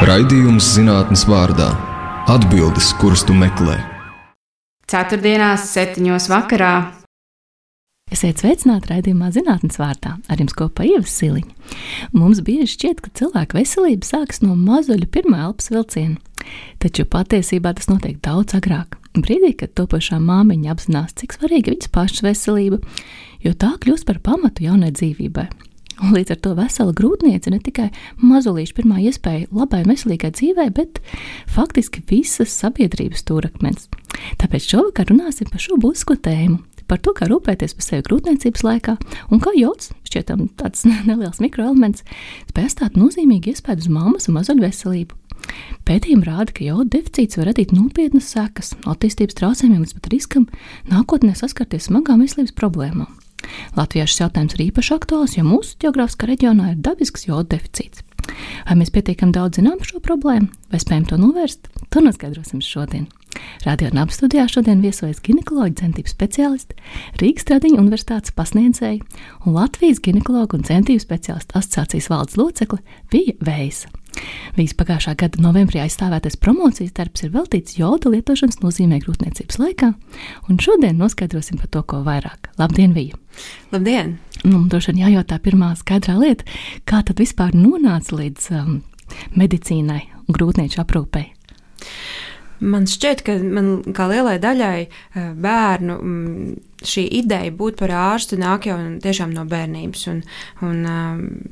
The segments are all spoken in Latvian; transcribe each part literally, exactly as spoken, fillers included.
Raidījums zinātnes vārdā – atbildes, kuras tu meklē. Ceturtdienās septiņos vakarā. Esiet sveicināti raidījumā zinātnes vārdā, ar jums kopā Ieva Siliņa. Mums bieži šķiet, ka cilvēka veselība sākas no mazuļa pirmā elpas vilciena, taču patiesībā tas notiek daudz agrāk. Brīdī, kad topošā māmiņa apzinās, cik svarīga viņas pašas veselība, jo tā kļūst par pamatu jaunai dzīvībai. Un līdz ar to vesela grūtniece ne tikai mazulīša pirmā iespēja labai veselīgai dzīvei, bet faktiski visas sabiedrības stūrakmens. Tāpēc šovakar runāsim par šo būtisko tēmu, par to, kā rūpēties par sevi grūtniecības laikā un kā jods, šķietam tāds neliels mikroelements, spēj atstāt nozīmīgu iespēju uz mammas un mazuļu veselību. Pētījumi rāda, ka joda deficīts var radīt nopietnas sekas, attīstības traucējumiem līdz pat riskam nākotnē saskarties smagām veselības problēmām. Latvijā šis jautājums ir īpaši aktuāls, jo mūsu ģeogrāfiskā reģionā ir dabisks joda deficīts. Vai mēs pietiekami daudz zinām par šo problēmu, vai spējam to novērst, to noskaidrosim šodien. Radio Naba studijā šodien viesojas ginekoloģa centību speciālisti, Rīgas Tradiņu universitātes pasniedzēji un Latvijas ginekologu un centību speciālistu asociācijas valdes locekle Vija Veisa. Vijas pagājušā gada novembrī aizstāvētais promocijas darbs ir veltīts joda lietošanas nozīmē grūtniecības laikā, un šodien noskaidrosim par to, ko vairāk. Labdien, Vija! Labdien! Nu, droši vien jājautā pirmā skaidrā lieta, kā tad vispār nonāca līdz um, medicīnai un grūtnieču aprūpei? Man šķiet, ka man kā lielai daļai bērnu šī ideja būt par ārstu nāk jau tiešām no bērnības. Un, un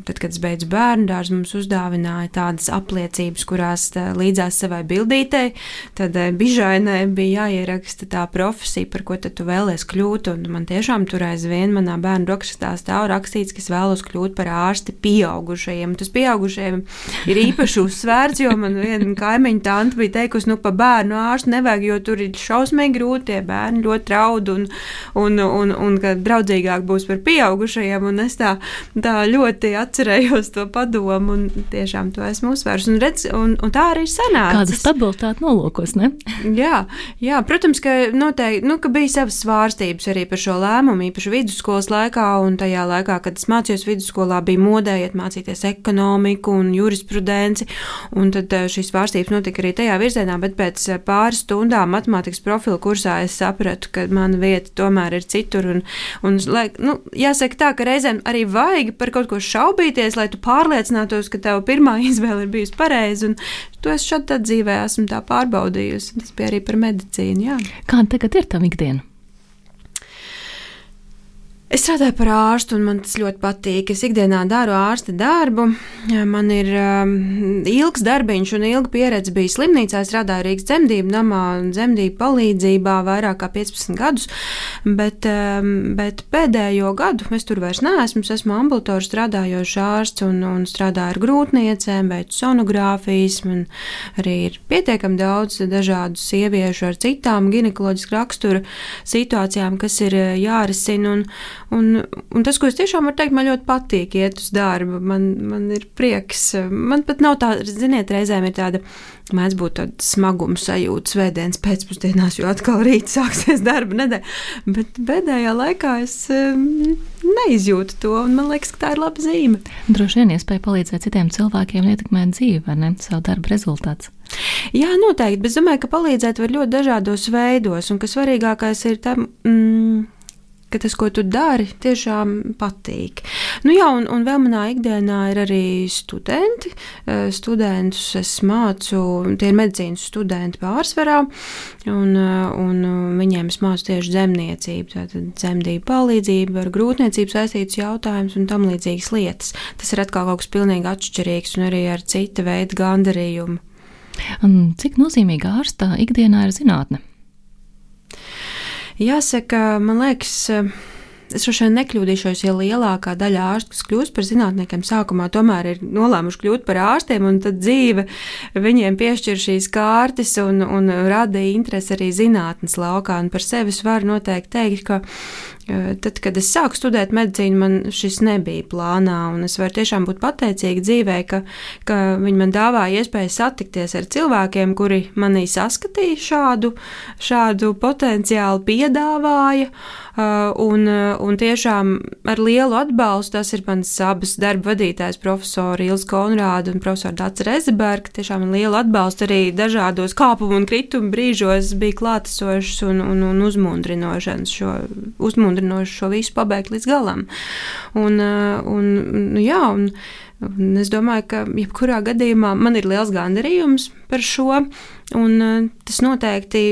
tad, kad es beidzu bērnu dārzu, mums uzdāvināja tādas apliecības, kurās līdzās savai bildītei, tad bižainai bija jāieraksta tā profesija, par ko tad tu vēlies kļūt. Un man tiešām tur aizvien manā bērnu rokrakstā stāv rakstīts, ka es vēlos kļūt par ārsti pieaugušajiem. Tas pieaugušajiem ir īpaši uzsvērts, jo man viena kaimiņa tante bija teikusi, nu pa bērnu ārstu nevajag, jo tur ir šausmīgi grūti, tie bērni ļoti raud un Un, un, un ka draudzīgāk būs par pieaugušajiem, un es tā, tā ļoti atcerējos to padomu, un tiešām to esmu uzsvērs, un, redz, un, un tā arī sanāca. Kāda stabilitāte nolūkos, ne? Jā, jā, protams, ka noteikti, nu, ka bija savas svārstības arī par šo lēmumu, īpaši vidusskolas laikā, un tajā laikā, kad es mācījos vidusskolā, bija modē iet mācīties ekonomiku un jurisprudenci, un tad šīs svārstības notika arī tajā virzienā, bet pēc pāris stundām matemātikas profila kursā es sapratu, ka mana vieta tomēr ir citur, un, un lai, nu, jāsaka tā, ka reizēm arī vajag par kaut ko šaubīties, lai tu pārliecinātos, ka tava pirmā izvēle ir bijusi pareiza, un to es šad tad dzīvē esmu tā pārbaudījusi, tas bija arī par medicīnu, jā. Kāda tagad ir tava ikdiena? Es strādāju par ārstu, un man tas ļoti patīk. Es ikdienā daru ārsta darbu. Man ir um, ilgs darbiņš un ilga pieredze bija slimnīcā. Es strādāju Rīgas dzemdību namā un dzemdību palīdzībā vairāk kā piecpadsmit gadus, bet, um, bet pēdējo gadu es tur vairs neesmu. Es esmu ambulatori strādājošs ārsts un, un strādāju ar grūtniecēm, veicu sonogrāfijas. Man arī ir pietiekami daudz dažādu sieviešu ar citām ginekoloģisku rakstura situācijām, kas ir jārisina. Un, Un, un tas, ko es tiešām varu teikt, man ļoti patīk iet uz darbu, man, man ir prieks, man pat nav tā, ziniet, reizēm ir tāda, mēdz būt tāda smaguma sajūta svētdienas pēcpusdienās, jo atkal rīt sāksies darba nedēļa, bet pēdējā laikā es um, neizjūtu to, un man liekas, ka tā ir laba zīme. Droši vien iespēja palīdzēt citiem cilvēkiem ietekmēt dzīvi, vai ne, savu darbu rezultāts. Jā, noteikti, bet es domāju, ka palīdzēt var ļoti dažādos veidos, un ka svarīgākais ir tam, mm, ka tas, ko tu dari, tiešām patīk. Nu jā, un, un vēl manā ikdienā ir arī studenti. Studentus es mācu, tie ir medicīnas studenti pārsvarā, un, un viņiem es mācu tieši dzemniecību, tātad dzemdību palīdzību, ar grūtniecību saistītus jautājumus un tam līdzīgas lietas. Tas ir atkal kaut kas pilnīgi atšķirīgs un arī ar cita veida gandarījumu. Un cik nozīmīga ārsta ikdienā ir zinātne? Jāsaka, man liekas, es droši vien nekļūdīšos, ja lielākā daļa ārstu, kas kļūst par zinātniekiem, sākumā tomēr ir nolēmuši kļūt par ārstiem, un tad dzīve viņiem piešķir šīs kārtas un, un rada interesi arī zinātnes laukā. Un par sevi es varu noteikti teikt, ka Tad, kad es sāku studēt medicīnu, man šis nebija plānā, un es varu tiešām būt pateicīga dzīvē, ka, ka viņi man dāvāja iespēju satikties ar cilvēkiem, kuri manī saskatīja šādu, šādu potenciālu, piedāvāja, un, un tiešām ar lielu atbalstu. Tas ir mans abas darba vadītājs, profesori Ilze Konrāde un profesori Dace Rezeberga. Tiešām ar lielu atbalstu arī dažādos kāpumu un kritumu brīžos bija klātesošs un, un, un uzmundrinošs šo uzmundrinošs šo visu pabeigt līdz galam. Un, un, jā, un, un es domāju, ka jebkurā gadījumā man ir liels gandarījums par šo, un tas noteikti,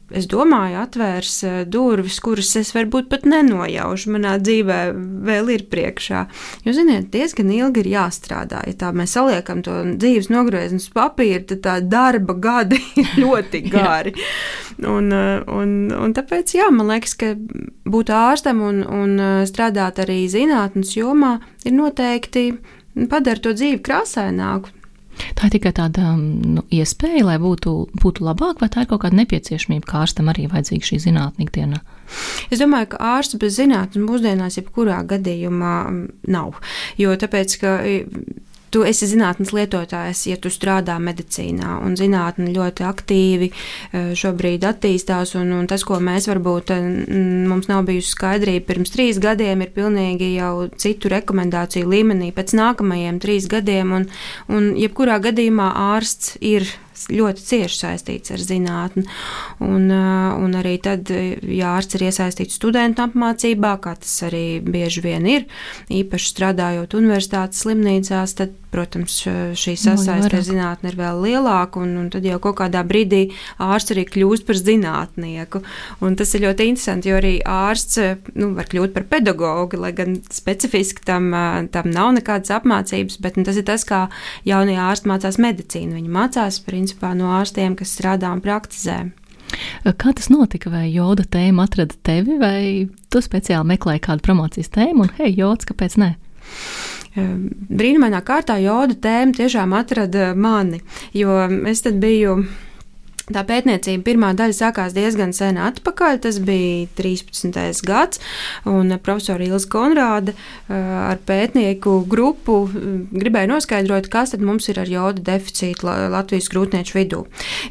es domāju, atvērs durvis, kuras es varbūt pat nenojaušu manā dzīvē vēl ir priekšā. Jo, ziniet, diezgan ilgi ir jāstrādā. Ja tā mēs saliekam to dzīves nogriezni uz papīra, tad tā darba gadi ir ļoti gari. Un, un, un tāpēc, jā, man liekas, ka būt ārstam un, un strādāt arī zinātnes jomā ir noteikti padara to dzīvi krāsaināku. Tā ir tikai tāda nu, iespēja, lai būtu, būtu labāk, vai tā ir kaut kāda nepieciešamība, kā ārstam arī vajadzīga šī zinātne ikdienā? Es domāju, ka ārsts bez zinātnes mūsdienās jebkurā gadījumā nav, jo tāpēc, ka tu esi zinātnes lietotājs, ja tu strādā medicīnā, un zinātne ļoti aktīvi šobrīd attīstās, un, un tas, ko mēs varbūt mums nav bijusi skaidrība pirms trīs gadiem, ir pilnīgi jau citu rekomendāciju līmenī pēc nākamajiem trīs gadiem, un, un jebkurā gadījumā ārsts ir ļoti cieši saistīts ar zinātni. Un, un arī tad, ja ārsts ir iesaistīts studentu apmācībā, kā tas arī bieži vien ir, īpaši strādājot universitātes slimnīcās, tad, protams, šī sasaiste ar zinātni ir vēl lielāka, un, un tad jau kaut kādā brīdī ārsts arī kļūst par zinātnieku. Un tas ir ļoti interesanti, jo arī ārsts nu, var kļūt par pedagogu, lai gan specifiski tam, tam nav nekādas apmācības, bet nu, tas ir tas, kā jaunie ārsti mācās medicīnu. Viņi mācās, principā, no ārstiem, kas strādā un praktizē. Kā tas notika? Vai joda tēma atrada tevi, vai tu speciāli meklēji kādu promocijas tēmu un, hei, jods, kāpēc ne? Brīnumainā kārtā joda tēma tiešām atrada mani, jo es tad biju... Tā pētniecība pirmā daļa sākās diezgan sen atpakaļ, tas bija trīspadsmitais gads, un profesora Ilze Konrāde ar pētnieku grupu gribēja noskaidrot, kas tad mums ir ar joda deficītu Latvijas grūtnieču vidū.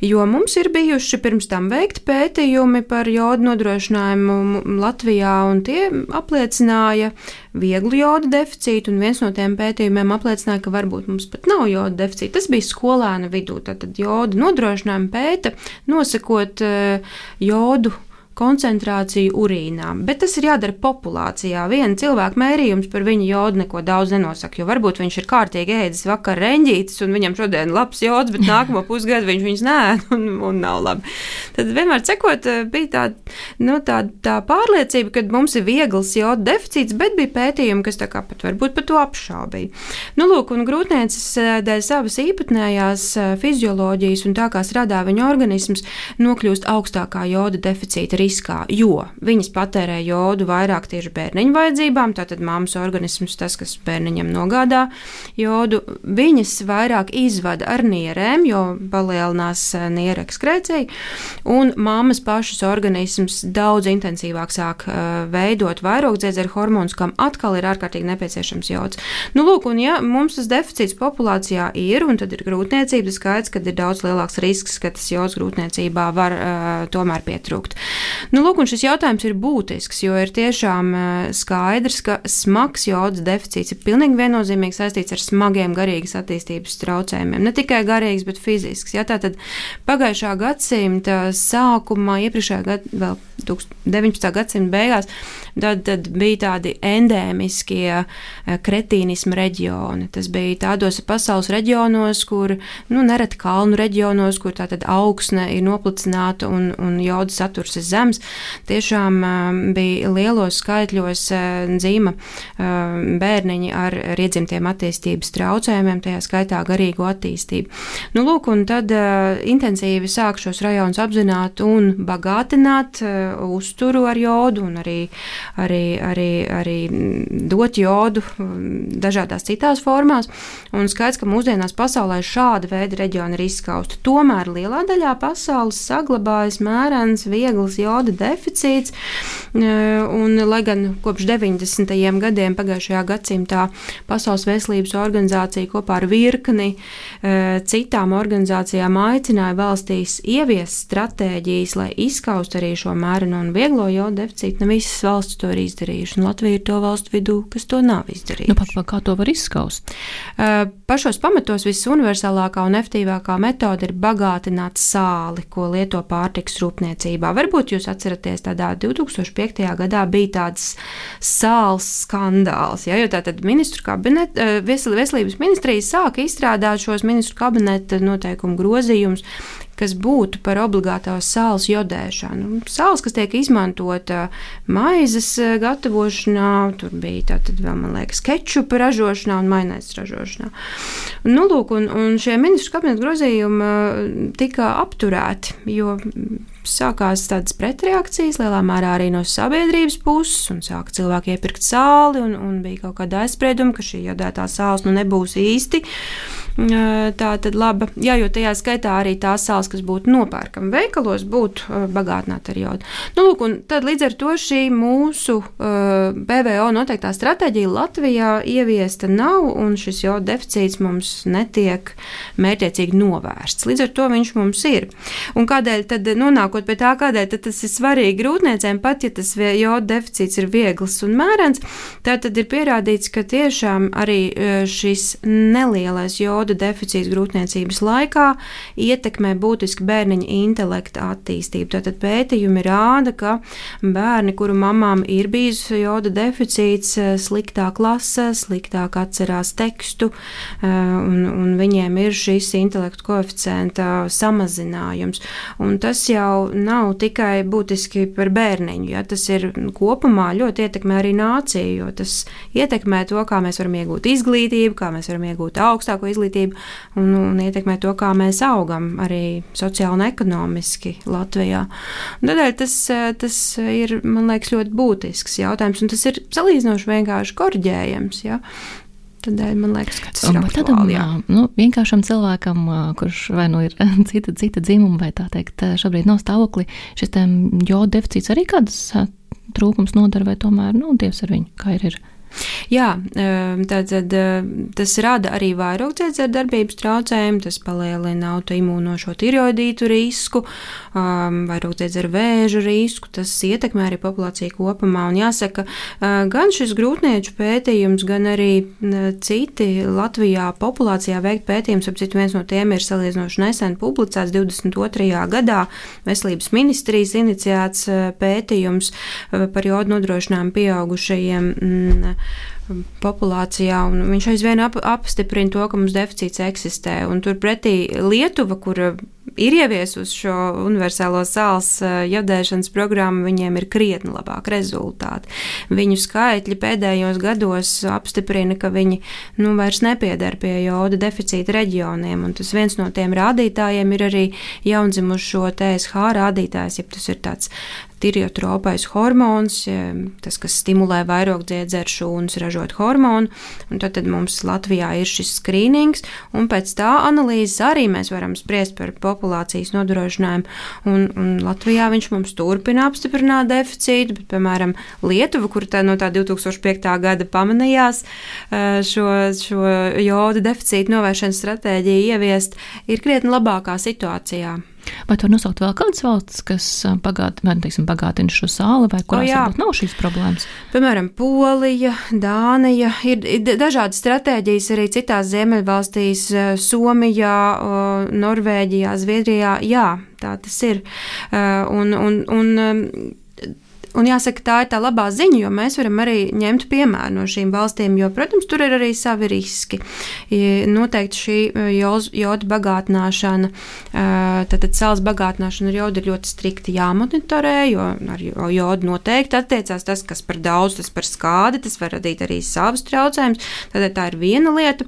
Jo mums ir bijuši pirms tam veikti pētījumi par joda nodrošinājumu Latvijā, un tie apliecināja vieglu joda deficītu, un viens no tiem pētījumiem apliecināja, ka varbūt mums pat nav joda deficīta. Tas bija skolēnu vidū, tātad joda nodrošinājumu pēta, nosakot uh, jodu koncentrāciju urīnā, bet tas ir jādara populācijā. Viena cilvēka mērījums par viņa jodu neko daudz nenosaka, jo varbūt viņš ir kārtīgi ēdis vakar reņģītis, un viņam šodien labs jods, bet nākamo pusgadu viņš viņus neēd un, un nav labi. Tad vienmēr cekot bija tā, nu, tā, tā pārliecība, ka mums ir viegls joda deficīts, bet bija pētījumi, kas tā kā pat varbūt par to apšaubīja. Nu, lūk, un grūtniecis dēļ savas īpatnējās fizioloģijas un tā kā strādā viņa organisms, nokļūst augstākā joda deficīta riskā, jo viņas patērē jodu vairāk tieši bērniņu vajadzībām, tātad mammas organisms, tas, kas bērniņam nogādā jodu, viņas vairāk izvada ar nierēm, jo palielinās nieru ekskrēcija, un mammas pašas organisms daudz intensīvāk sāk uh, veidot vairogdziedzeru hormonus, kam atkal ir ārkārtīgi nepieciešams jods. Nu, lūk, un ja mums tas deficīts populācijā ir, un tad ir grūtniecība, tas skaidrs, ka ir daudz lielāks risks, ka tas jods grūtniecībā var uh, tomēr pietrūkt. Nu, lūk, un šis jautājums ir būtisks, jo ir tiešām skaidrs, ka smags jodas deficīts ir pilnīgi viennozīmīgi saistīts ar smagiem garīgas attīstības traucējumiem. Ne tikai garīgs, bet fizisks. Ja, tātad pagājušā gadsimta sākumā, iepriekšējā gada, vēl deviņpadsmitā gadsimta beigās, tad, tad bija tādi endēmiskie kretīnisma reģioni. Tas bija tādos pasaules reģionos, kur, nu, nereti kalnu reģionos, kur tātad augsne ir noplicināta un, un joda saturs ir zems. Tiešām uh, bija lielos skaitļos uh, dzīma uh, bērniņi ar iedzimtiem attīstības traucējumiem, tajā skaitā garīgo attīstību. Nu, lūk, un tad uh, intensīvi sāk šos rajonus apzināt un bagātināt, uh, uzturu ar jodu un arī, arī, arī, arī dot jodu dažādās citās formās. Un skaidrs, ka mūsdienās pasaulē šāda veida reģioni ir izskausti. Tomēr lielā daļā pasaules saglabājas mērens, viegls joda deficīts. Un, lai gan kopš deviņdesmitajiem gadiem pagājušajā gadsimtā Pasaules veselības organizācija kopā ar virkni citām organizācijām aicināja valstīs ieviest stratēģijas, lai izskaustu arī šo mērenu un vieglo joda deficītu. Ne visas valsts to ir izdarījušas, un Latvija ir to valstu vidū, kas to nav izdarījuši. Nu, pat, kā to var izskaust? Pašos pamatos visuniversālākā un efektīvākā metode ir bagātināt sāli, ko lieto pārtikas rūpniecībā. Varbūt jūs atceraties, tādā divi tūkstoši piektajā gadā bija tāds sāls skandāls, ja, jo tātad ministru kabineta, veselības ministrija sāka izstrādāt šos ministru kabineta noteikumu grozījumus, kas būtu par obligātās sāls jodēšanu. Sāls, kas tiek izmantota maizes gatavošanā, tur bija tātad vēl, man liekas, kečupa ražošanā un maināzes ražošanā. Nu, lūk, un, un šie ministru kabineta grozījumi tika apturēti, jo sākās tādas pretreakcijas, lielā mērā arī no sabiedrības puses, un sāka cilvēki iepirkt sāli, un, un bija kaut kāda aizsprieduma, ka šī jodētā sāls nu nebūs īsti tā tad laba. Jā, jo tajā skaitā arī tās sāls, kas būtu nopērkama veikalos, būtu bagātināta ar jodu. Nu, lūk, un tad līdz ar to šī mūsu uh, P V O noteiktā stratēģija Latvijā ieviesta nav, un šis joda deficīts mums netiek mērķiecīgi novērsts. Līdz ar to viņš mums ir. Un kādēļ tad nonākot pie tā, kādēļ tad tas ir svarīgi grūtniecēm, pat ja tas joda deficīts ir viegls un mērens, tā tad ir pierādīts, ka tiešām arī šis nelielais joda deficīts grūtniecības laikā ietekmē būtiski bērniņa intelekta attīstību. Tātad pētījumi rāda, ka bērni, kuru mamām ir bijis joda deficīts, sliktāk lasa, sliktāk atcerās tekstu, un, un viņiem ir šis intelektu koeficienta samazinājums. Un tas jau nav tikai būtiski par bērniņu, ja? Tas ir kopumā ļoti ietekmē arī nāciju, jo tas ietekmē to, kā mēs varam iegūt izglītību, kā mēs varam iegūt augstāko izglītību, Un, un ietekmē to, kā mēs augam arī sociāli un ekonomiski Latvijā. Un tādēļ tas, tas ir, man liekas, ļoti būtisks jautājums, un tas ir salīdzinoši vienkārši korģējams, ja? Tādēļ man liekas, ka tas ir aktuāli. Tādam, nu, vienkāršam cilvēkam, kurš vai nu ir cita, cita dzimuma, vai tā teikt, šobrīd nav stāvokli, šis joda deficīts arī kādas trūkums nodara, vai tomēr, nu, Dievs ar viņu, kā ir ir? Jā, tātad tas rada arī vairogdziedzera darbības traucējumu, tas palielina autoimūno šo tiroidītu risku, vairogdziedzera vēža risku, tas ietekmē arī populāciju kopumā. Un jāsaka, gan šis grūtnieču pētījums, gan arī citi Latvijā populācijā veikt pētījums, ap citu viens no tiem ir salīdzinoši nesen publicēts divdesmit otrajā gadā Veselības ministrijas iniciēts pētījums par jodu nodrošinājumu pieaugušajiem populācijā, un viņš aizvien ap, apstiprina to, ka mums deficīts eksistē. Un turpretī Lietuva, kur ir ieviesusi šo universālo sāls jodēšanas programmu, viņiem ir krietni labāk rezultāti. Viņu skaitļi pēdējos gados apstiprina, ka viņi nu, vairs nepiedar pie joda deficīta reģioniem, un tas viens no tiem rādītājiem ir arī jaundzimušo T S H rādītājs, ja tas ir tāds tiriotropais hormons, tas, kas stimulē vairogdziedzeru šūnas ražot hormonu, un tad, tad mums Latvijā ir šis skrīnings, un pēc tā analīzes arī mēs varam spriest par populācijas nodrošinājumu, un, un Latvijā viņš mums turpina apstiprināt deficītu, bet, piemēram, Lietuva, kur tā no tā divi tūkstoši piektā gada pamanījās šo, šo joda deficītu novēršanas stratēģiju ieviest, ir krietni labākā situācijā. Vai var nosaukt vēl kādas valstis, kas bagāt, teiksim, bagātina šo sāli, vai kurās o, varbūt nav šīs problēmas? Piemēram, Polija, Dānija, ir, ir dažādas stratēģijas arī citās ziemeļvalstīs, Somijā, Norvēģijā, Zviedrijā, jā, tā tas ir. Un, un, un, un jāsaka, tā ir tā labā ziņa, jo mēs varam arī ņemt piemēru no šīm valstīm, jo, protams, tur ir arī savi riski. Noteikti šī joda bagātināšana, tātad sāls bagātināšana ar jodu ir ļoti strikti jāmonitorē, jo ar jodu noteikti attiecās tas, kas par daudz, tas par skādi, tas var radīt arī savus traucējumus, tad tā ir viena lieta.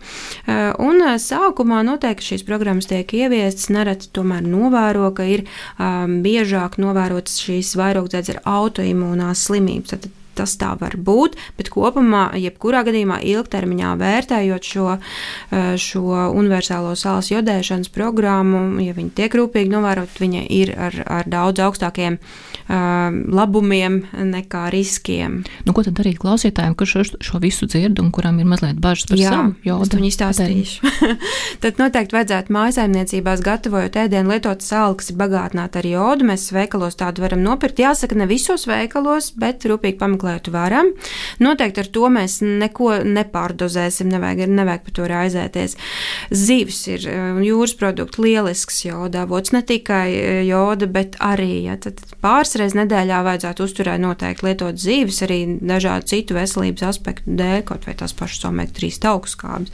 Un sākumā noteikti šīs programmas tiek ieviestas, nereti tomēr novēro, ka ir um, biežāk novērotas šīs vairogdzēdzes ar autoimūnās slimības. Tad tas tā var būt, bet kopumā, jebkurā gadījumā ilgtermiņā vērtējot šo, šo universālo sāls jodēšanas programmu, ja viņi tiek rūpīgi novērot, viņa ir ar, ar daudz augstākiem uh, labumiem nekā riskiem. Nu, ko tad darīt klausītājiem, kurš šo, šo visu dzird un kuram ir mazliet bažas par Jā, savu jodu? Jā, es viņu izstāstīšu. Tad noteikti vajadzētu mājasaimniecībās gatavojot ēdienu lietot sāli, kas ir bagātināta ar jodu. Mēs veikalos tādu varam nopirkt. Jāsaka, ne visos veikalos, bet rūpīgi pameklēt varam. Noteikti ar to mēs neko nepārdozēsim, nevajag, nevajag par to raizēties. Zivs ir jūras produkti, lielisks joda avots, ne tikai joda, bet arī, ja, tad pāris reizes nedēļā vajadzētu uzturēt noteikti lietot zivs, arī dažādu citu veselības aspektu dēļ, kaut vai tās pašas omega trīs augstskābes.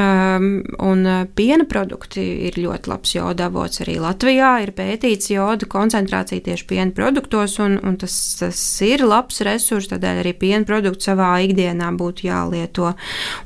Um, un piena produkti ir ļoti labs joda avots arī Latvijā, ir pētīts joda koncentrācija tieši piena produktos, un, un tas, tas ir labs resurs. Tādēļ arī piena produkti savā ikdienā būtu jālieto.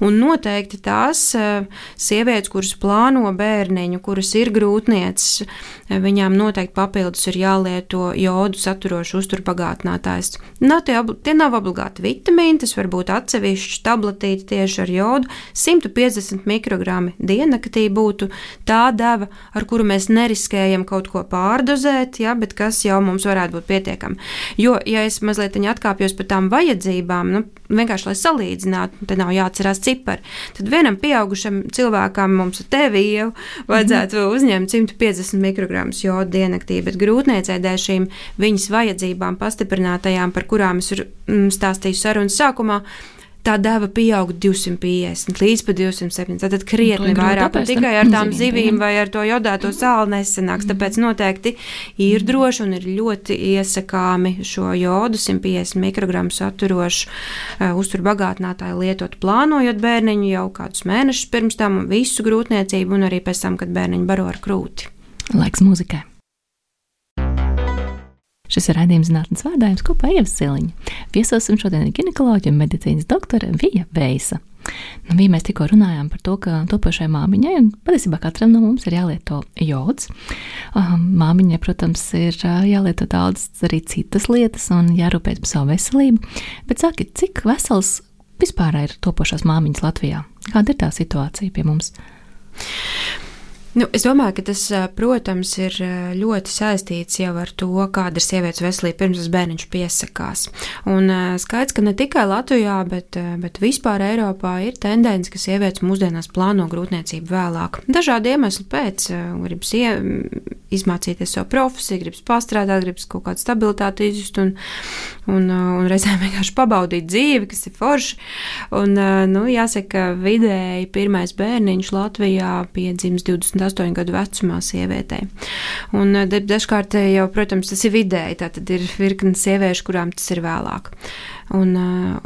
Un noteikti tās sievietes, kuras plāno bērniņu, kuras ir grūtnieces, viņām noteikti papildus ir jālieto jodu saturošu uzturbagātinātājs. Nav tie, tie nav obligāti vitamīni, tas var būt atsevišķi tabletīti tieši ar jodu. simt piecdesmit mikrogrami diennaktī būtu tā deva, ar kuru mēs neriskējam kaut ko pārdozēt, ja, bet kas jau mums varētu būt pietiekami. Jo, ja es mazliet atkāpju par tām vajadzībām, nu, vienkārši, lai salīdzinātu, tad nav jāatcerās cipari. Tad vienam pieaugušam cilvēkam mums ar tevi jau vajadzētu mm-hmm. uzņemt simt piecdesmit mikrogramus jodu diennaktī, bet grūtniecei dēļ šīm viņas vajadzībām pastiprinātajām, par kurām es stāstīju sarunas sākumā, tā deva pieaug divsimt piecdesmit līdz pat divsimt septiņdesmit. Tātad krietni vairāk, un tikai ar tām zivīm vai ar to jodāto sāli nesanāks. Tāpēc noteikti ir droši un ir ļoti iesakāmi šo jodu simt piecdesmit mikrogramu saturošu uh, uzturbagātinātāju lietot plānojot bērniņu jau kādus mēnešus pirms tam un visu grūtniecību un arī pēc tam, kad bērniņu baro ar krūti. Laiks muzikai. Šis ir raidījums Zinātnes vārdā, jums kopā Ieva Siliņa. Viesosim šodien ir ginekoloģija un medicīnas doktore Vija Veisa. Nu, Vija, mēs tikko runājām par to, ka topošai māmiņai, un patiesībā katram no mums ir jālieto jods. Māmiņai, protams, ir jālieto daudz arī citas lietas un jārūpēs par savu veselību. Bet saki, cik vesels vispār ir topošās māmiņas Latvijā? Kāda ir tā situācija pie mums? Nu, es domāju, ka tas, protams, ir ļoti saistīts jau ar to, kāda ir sievietes veselība pirms tas bērniņš piesakās. Un skaidrs, ka ne tikai Latvijā, bet, bet vispār Eiropā ir tendence, ka sievietes mūsdienās plāno grūtniecību vēlāk. Dažādi iemesli pēc, gribas ie, izmācīties savu profesiju, gribas pastrādāt, gribas kaut kādu stabilitāti izjust un, un, un reizēm vienkārši pabaudīt dzīvi, kas ir forši. Un, nu, jāsaka, vidēji pirmais bērniņš Latvijā piedzims divdesmit astoņu gadu vecumā sievietei. Un dažkārt jau, protams, tas ir vidēji, tātad ir virkni sieviešu, kurām tas ir vēlāk. Un,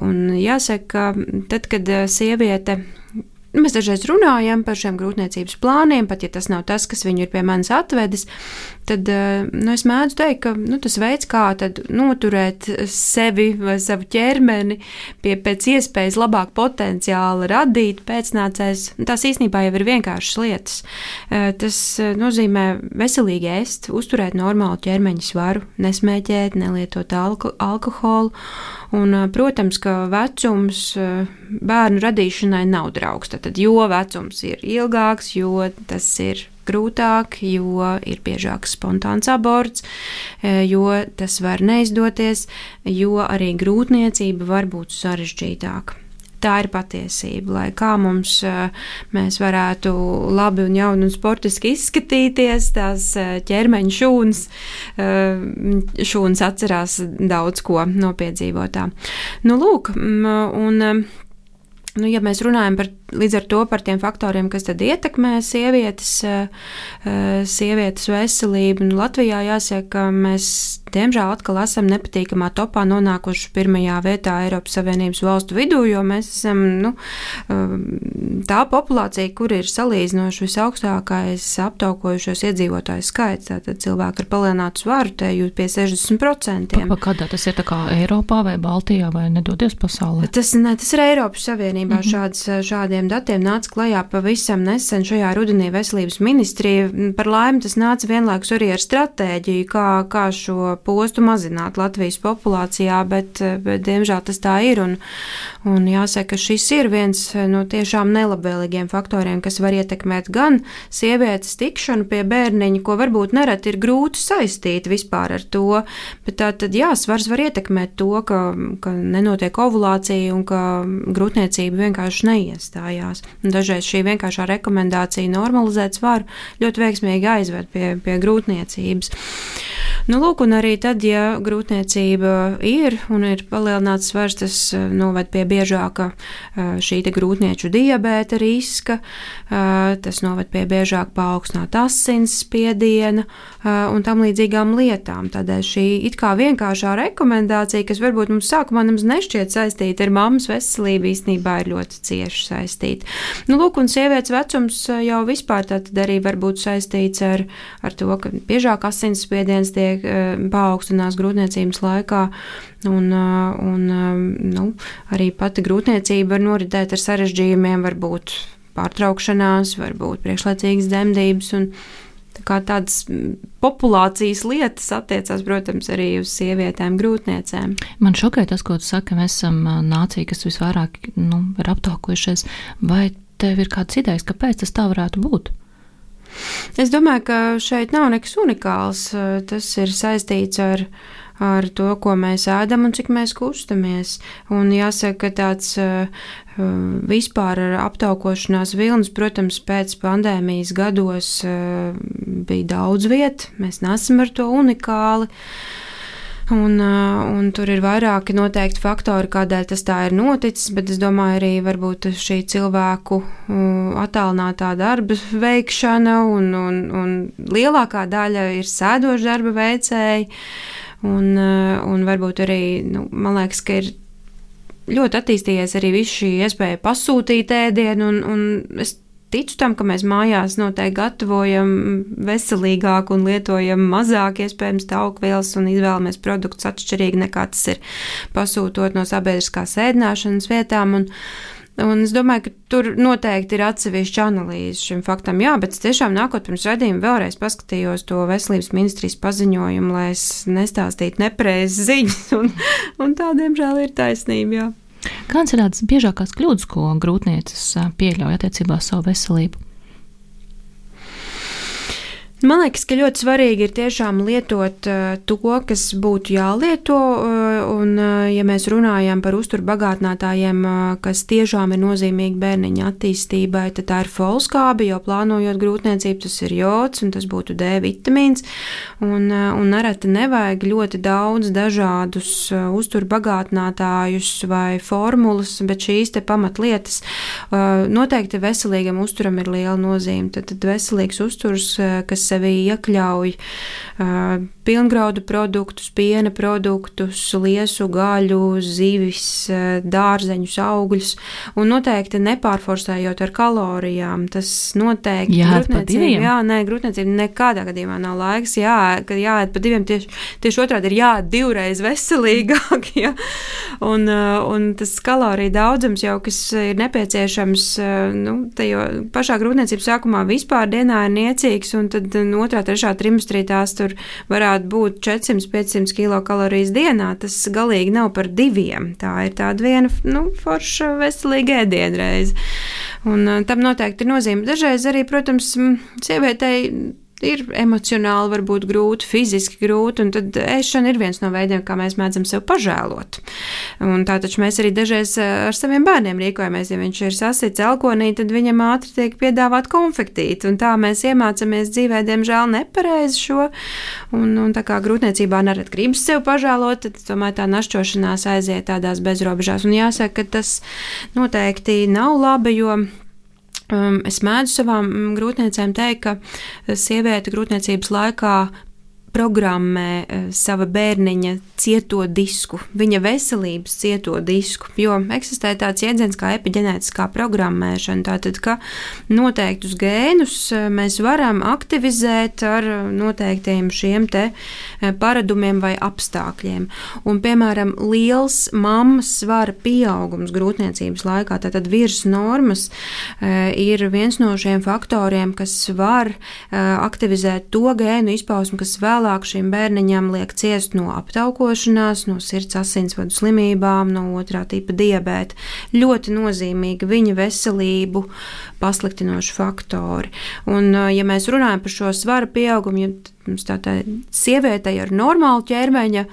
un jāsaka, tad, kad sieviete, mēs dažreiz runājam par šiem grūtniecības plāniem, pat ja tas nav tas, kas viņu ir pie manis atvedis, tad nu, es mēdzu teikt, ka nu, tas veids, kā tad noturēt sevi vai savu ķermeni pie pēc iespējas labāk potenciāla radīt pēcnācējs, tās īstenībā jau ir vienkāršas lietas. Tas nozīmē veselīgi ēst, uzturēt normālu ķermeņa svaru, nesmēķēt, nelietot alko, alkoholu. Un, protams, ka vecums bērnu radīšanai nav draugs. Tad, jo vecums ir ilgāks, jo tas ir grūtāk, jo ir biežāks spontāns aborts, jo tas var neizdoties, jo arī grūtniecība var būt sarežģītāka. Tā ir patiesība, lai kā mums mēs varētu labi un jauni un sportiski izskatīties, tās ķermeņa šūnas, šūnas atcerās daudz ko no piedzīvotā. Nu, lūk, un, nu, ja mēs runājam par līdz ar to par tiem faktoriem, kas tad ietekmē sievietes, sievietes veselību. Un Latvijā jāsaka, ka mēs diemžēl atkal esam nepatīkamā topā nonākuši pirmajā vietā Eiropas Savienības valstu vidū, jo mēs esam nu, tā populācija, kur ir salīdzinoši visaugstākais aptaukojušos iedzīvotāju skaits. Tātad cilvēki ar palielinātu svaru te jūt pie sešdesmit procentiem. Pa, kādā tas ir tā kā Eiropā vai Baltijā vai nedodies pasaulē? Tas, ne, tas ir Eiropas Savienībā. Mm-hmm. Šāds, šādiem datiem nāca klajā pavisam nesen šajā rudenī veselības ministrija. Par laimi tas nāca vienlaikus arī ar stratēģiju, kā, kā šo postu mazināt Latvijas populācijā, bet, bet diemžēl tas tā ir. Un, un jāsaka, ka šis ir viens no tiešām nelabvēlīgiem faktoriem, kas var ietekmēt gan sievietes tikšanu pie bērniņa, ko varbūt nereti ir grūti saistīt vispār ar to, bet tā tad jā, svars var ietekmēt to, ka, ka nenotiek ovulācija un ka grūtniecība vienkārši neiestājās. Un dažreiz šī vienkāršā rekomendācija normalizēt svaru ļoti veiksmīgi aizved pie, pie grūtniecības. Nu, lūk, un arī tad, ja grūtniecība ir un ir palielināts svars, tas noved pie biežāka šī te grūtnieču diabēta riska, tas noved pie biežāk paaugstināta asinsspiediena un tam līdzīgām lietām. Tādēļ šī it kā vienkāršā rekomendācija, kas varbūt mums sākumā nemaz nešķiet saistīta ar mammas veselību, īstenībā ir ļoti cieši saistīta. Nu, lūk, un sievietes vecums jau vispār tātad arī var būt saistīts ar, ar to, ka biežāk asinsspiediens tiek paaugstinās grūtniecības laikā, un, un nu, arī pati grūtniecība var noritēt ar sarežģījumiem, var būt pārtraukšanās, var būt priekšlaicīgas dzemdības, un tā kā tādas populācijas lietas attiecās, protams, arī uz sievietēm grūtniecēm. Man šokē tas, ko tu saki, ka mēs esam nācija, kas visvairāk nu, ir aptaukojušies, vai tev ir kāds idejas, kāpēc tas tā varētu būt? Es domāju, ka šeit nav nekas unikāls. Tas ir saistīts ar, ar to, ko mēs ēdam un cik mēs kustamies. Un jāsaka, ka tāds vispār ar aptaukošanās vilnis, protams, pēc pandēmijas gados bija daudz viet. Mēs neesam ar to unikāli. Un, un tur ir vairāki noteikti faktori, kādēļ tas tā ir noticis, bet es domāju arī varbūt šī cilvēku attālinātā darba veikšana un, un, un lielākā daļa ir sēdoša darba veicēji un, un varbūt arī, nu, man liekas, ka ir ļoti attīstījies arī viss šī iespēja pasūtīt ēdienu un, un es ticu tam, ka mēs mājās noteikti gatavojam veselīgāk un lietojam mazāk iespējams taukvielas un izvēlamies produktus atšķirīgi nekā tas ir pasūtot no sabiedriskās ēdināšanas vietām. Un, un es domāju, ka tur noteikti ir atsevišķa analīze šim faktam. Jā, bet es tiešām nākot pirms raidījuma vēlreiz paskatījos to veselības ministrijas paziņojumu, lai es nestāstītu nepareizas ziņas, un, un tā, diemžēl, ir taisnība, jā. Kādas ir tādas biežākās kļūdas, ko grūtnieces pieļauj attiecībā uz savu veselību? Man liekas, ka ļoti svarīgi ir tiešām lietot uh, to, kas būtu jālieto, uh, un uh, ja mēs runājam par uzturbagātinātājiem, uh, kas tiešām ir nozīmīgi bērniņa attīstībai, tad tā ir folskābe, jo plānojot grūtniecību, tas ir jods, un tas būtu D vitamīns, un, uh, un nereti nevajag ļoti daudz dažādus uh, uzturbagātinātājus vai formulas, bet šīs te pamatlietas uh, noteikti veselīgam uzturam ir liela nozīme. Tad, tad veselīgs uzturs, uh, kas sevi iekļauj uh, pilngraudu produktus, piena produktus, liesu, gaļu, zivis, uh, dārzeņus, augļus, un noteikti nepārforsējot ar kalorijām. Tas noteikti jāēd pa diviem. Jā, nē, grūtniecība nekādā gadījumā nav laiks, jā, kad jāēd pa diviem, tieši, tieši otrādi ir jāēd divreiz veselīgāk, jā. Un, uh, un tas kaloriju daudzums jau, kas ir nepieciešams, uh, nu, tajo pašā grūtniecības sākumā vispār dienā ir niecīgs, un tad otrā, trešā trimestrī tās tur varētu būt četri simti pieci simti kilokalorijas dienā. Tas galīgi nav par diviem. Tā ir tāda viena, nu, forša veselīga ēdienreize. Un tam noteikti ir nozīme. Dažreiz arī, protams, sievietei ir emocionāli, varbūt grūti, fiziski grūti, un tad ēšana ir viens no veidiem, kā mēs mēdzam sev pažēlot. Un tā taču mēs arī dažreiz ar saviem bērniem rīkojamies, ja viņš ir sasits elkonī, tad viņam ātri tiek piedāvāt konfektīti, un tā mēs iemācamies dzīvē, diemžēl, nepareizi šo, un, un tā kā grūtniecībā nerad gribas sev pažēlot, tad tomēr tā našķošanās aiziet tādās bezrobežās, un jāsaka, ka tas noteikti nav labi, jo Um, es mēdzu savām grūtniecēm teikt, ka sieviete grūtniecības laikā programmē uh, sava bērniņa cieto disku, viņa veselības cieto disku, jo eksistē tāds jēdziens kā epiģenētiskā programmēšana, tātad, ka noteiktus gēnus mēs varam aktivizēt ar noteiktiem šiem te paradumiem vai apstākļiem. Un, piemēram, liels mammas svara pieaugums grūtniecības laikā, tātad virs normas, uh, ir viens no šiem faktoriem, kas var uh, aktivizēt to gēnu izpausmu, kas vēlāk šim bērniņam liek ciest no aptaukošanās, no sirds asinsvadu slimībām, no otrā tipa diabēta. Ļoti nozīmīgi viņa veselību pasliktinoši faktori. Un, ja mēs runājam par šo svara pieaugumu, ja mums tā tā sievietei ar normālu ķermeņa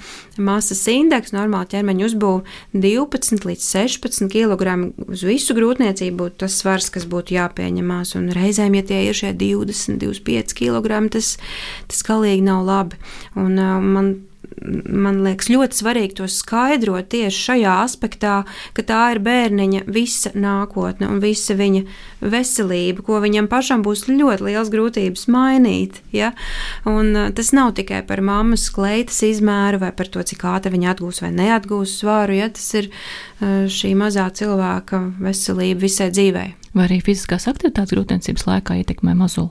masas indeksu, normālu ķermeņa uzbūvu divpadsmit līdz sešpadsmit kilogrami uz visu grūtniecību būtu tas svars, kas būtu jāpieņemās. Un reizēm, ja tie ir šie divdesmit, divdesmit pieci kilogrami, tas, tas galīgi nav labi. Un uh, man Man liekas ļoti svarīgi to skaidrot tieši šajā aspektā, ka tā ir bērniņa visa nākotne un visa viņa veselība, ko viņam pašam būs ļoti liels grūtības mainīt. Ja? Un tas nav tikai par mammas kleitas izmēru vai par to, cik ātri viņa atgūs vai neatgūs svaru. Ja? Tas ir šī mazā cilvēka veselība visai dzīvei. Vai arī fiziskās aktivitātes grūtniecības laikā ietekmē mazuli?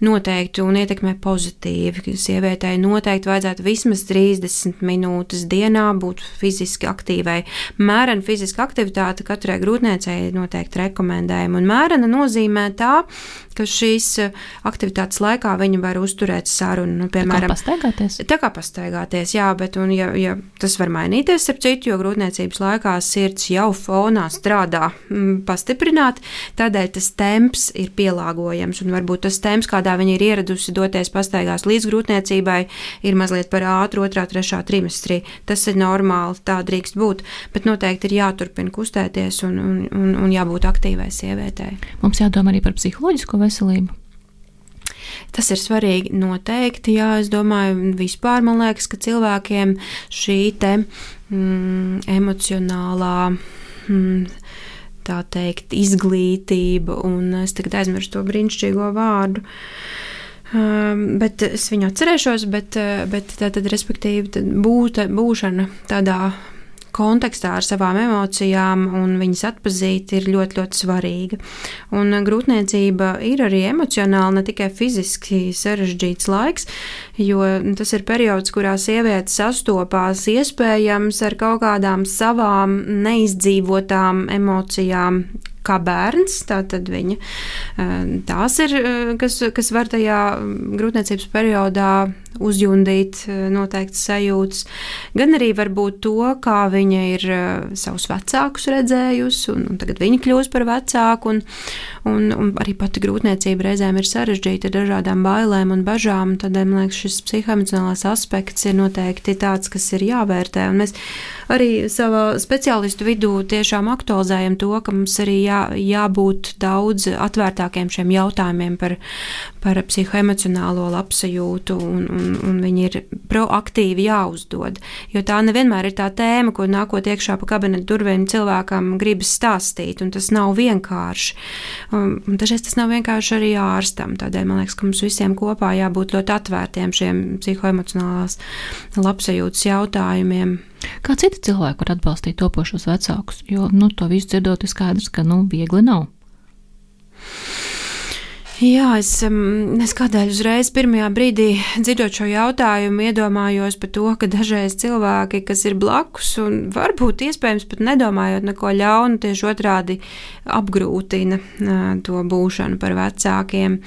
Noteikti un ietekmē pozitīvi. Sievietei noteikti vajadzētu vismaz trīsdesmit minūtes dienā būt fiziski aktīvai. Mērena fiziska aktivitāte katrai grūtniecei noteikti rekomendējama. Un mērena nozīmē tā, ka šīs aktivitātes laikā viņa var uzturēt sarunu. Nu, piemēram, tā kā pastaigāties? Tā kā pastaigāties, jā, bet un, ja, ja tas var mainīties ar citu, jo grūtniecības laikā sirds jau fonā strādā m, pastiprināt, tādēļ tas temps ir pielāgojams un varbūt tas temps, kādā viņa ir ieradusi doties pastaigās līdz grūtniecībai, ir mazliet par ātru otrā, trešā trimestrī. Tas ir normāli, tā drīkst būt, bet noteikti ir jāturpina kustēties un, un, un, un jābūt aktīvai sievietei. Mums jādomā arī par psiholoģisko veselību. Tas ir svarīgi noteikti, jā, es domāju, vispār man liekas, ka cilvēkiem šī te mm, emocionālā mm, tā teikt, izglītība, un es tagad aizmirstu to brīnišķīgo vārdu, um, bet es viņu atcerēšos, bet, bet tā tad, respektīvi, tad būt, būšana tādā kontekstā ar savām emocijām un viņas atpazīt ir ļoti, ļoti svarīga. Un grūtniecība ir arī emocionāli, ne tikai fiziski sarežģīts laiks, jo tas ir periods, kurā sieviete sastopās iespējams ar kaut kādām savām neizdzīvotām emocijām, kā bērns, tātad viņa tās ir, kas, kas var tajā grūtniecības periodā uzjundīt noteikti sajūtas, gan arī varbūt to, kā viņa ir savus vecākus redzējusi, un, un tagad viņa kļūst par vecāku, un, un, un arī pati grūtniecība reizēm ir sarežģīta ar dažādām bailēm un bažām, tad, man liekas, šis psihoemocionālais aspekts ir noteikti tāds, kas ir jāvērtē, un mēs arī savā speciālistu vidū tiešām aktualizējam to, ka mums arī jā, jābūt daudz atvērtākiem šiem jautājumiem par, par psihoemocionālo labsajūtu, un, un, un viņi ir proaktīvi jāuzdod, jo tā nevienmēr ir tā tēma, ko nākot iekšā pa kabinetu durvīm cilvēkam gribas stāstīt, un tas nav vienkārši. Un, un dažreiz tas nav vienkārši arī ārstam, tādēļ man liekas, ka mums visiem kopā jābūt ļoti atvērtiem šiem psihoemocionālās labsajūtas jautājumiem. Kā citi cilvēki var atbalstīt topošos vecākus, jo, nu, to visu dzirdot ir skaidrs, ka, nu, viegli nav. Jā, es, es kādēļ uzreiz pirmajā brīdī dzirdot šo jautājumu iedomājos par to, ka dažreiz cilvēki, kas ir blakus un varbūt iespējams pat nedomājot neko ļaunu, tieši otrādi apgrūtina to būšanu par vecākiem.